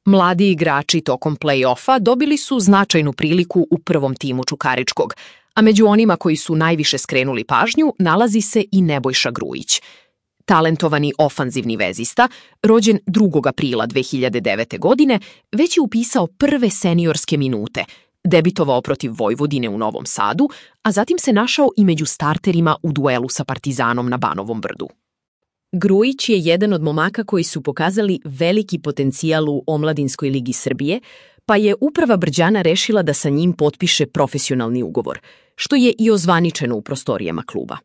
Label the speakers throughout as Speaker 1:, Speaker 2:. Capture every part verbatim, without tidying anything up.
Speaker 1: Mladi igrači tokom play-offa dobili su značajnu priliku u prvom timu Čukaričkog, a među onima koji su najviše skrenuli pažnju nalazi se i Nebojša Grujić. Talentovani ofanzivni vezista, rođen drugog aprila dve hiljade devete. godine, već je upisao prve seniorske minute, debitovao protiv Vojvodine u Novom Sadu, a zatim se našao i među starterima u duelu sa Partizanom na Banovom Brdu.
Speaker 2: Grujić je jedan od momaka koji su pokazali veliki potencijal u Omladinskoj ligi Srbije, pa je uprava Brđana rešila da sa njim potpiše profesionalni ugovor, što je i ozvaničeno u prostorijama kluba.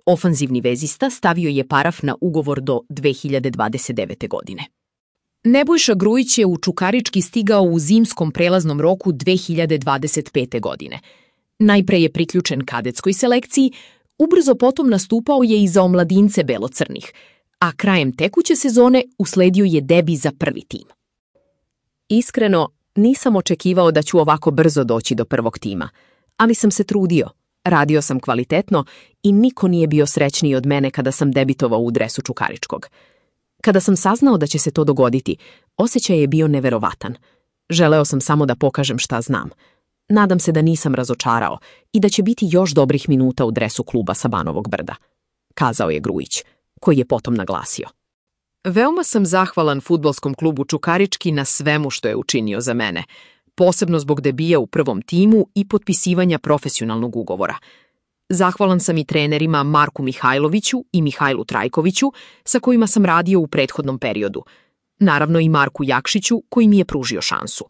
Speaker 2: Ofanzivni vezista stavio je paraf na ugovor do dve hiljade dvadeset devete. godine.
Speaker 1: Nebojša Grujić je u Čukarički stigao u zimskom prelaznom roku dve hiljade dvadeset pete. godine. Najpre je priključen kadetskoj selekciji, ubrzo potom nastupao je i za omladince belocrnih, a krajem tekuće sezone usledio je debi za prvi tim.
Speaker 2: Iskreno, nisam očekivao da ću ovako brzo doći do prvog tima, ali sam se trudio, radio sam kvalitetno i niko nije bio srećniji od mene kada sam debitovao u dresu Čukaričkog. Kada sam saznao da će se to dogoditi, osjećaj je bio neverovatan. Želeo sam samo da pokažem šta znam. Nadam se da nisam razočarao i da će biti još dobrih minuta u dresu kluba sa Banovog Brda, kazao je Grujić, koji je potom naglasio.
Speaker 1: Veoma sam zahvalan fudbalskom klubu Čukarički na svemu što je učinio za mene, posebno zbog debija u prvom timu i potpisivanja profesionalnog ugovora. Zahvalan sam i trenerima Marku Mihajloviću i Mihajlu Trajkoviću, sa kojima sam radio u prethodnom periodu. Naravno i Marku Jakšiću, koji mi je pružio šansu.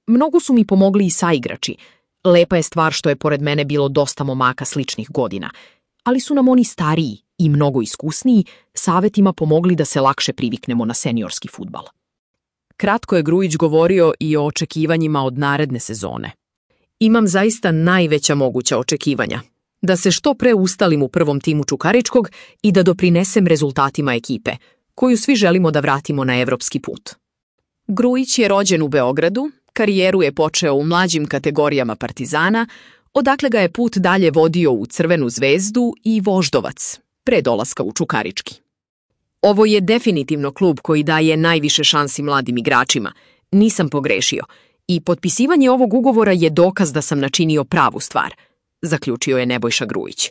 Speaker 1: Mnogo su mi pomogli i saigrači. Lepa je stvar što je pored mene bilo dosta momaka sličnih godina, ali su nam oni stariji i mnogo iskusniji savetima pomogli da se lakše priviknemo na seniorski fudbal.
Speaker 2: Kratko je Grujić govorio i o očekivanjima od naredne sezone.
Speaker 1: Imam zaista najveća moguća očekivanja. Da se što pre ustalim u prvom timu Čukaričkog i da doprinesem rezultatima ekipe, koju svi želimo da vratimo na evropski put. Grujić je rođen u Beogradu, karijeru je počeo u mlađim kategorijama Partizana, odakle ga je put dalje vodio u Crvenu zvezdu i Voždovac, pre dolaska u Čukarički. Ovo je definitivno klub koji daje najviše šansi mladim igračima, nisam pogrešio, i potpisivanje ovog ugovora je dokaz da sam načinio pravu stvar, zaključio je Nebojša Grujić.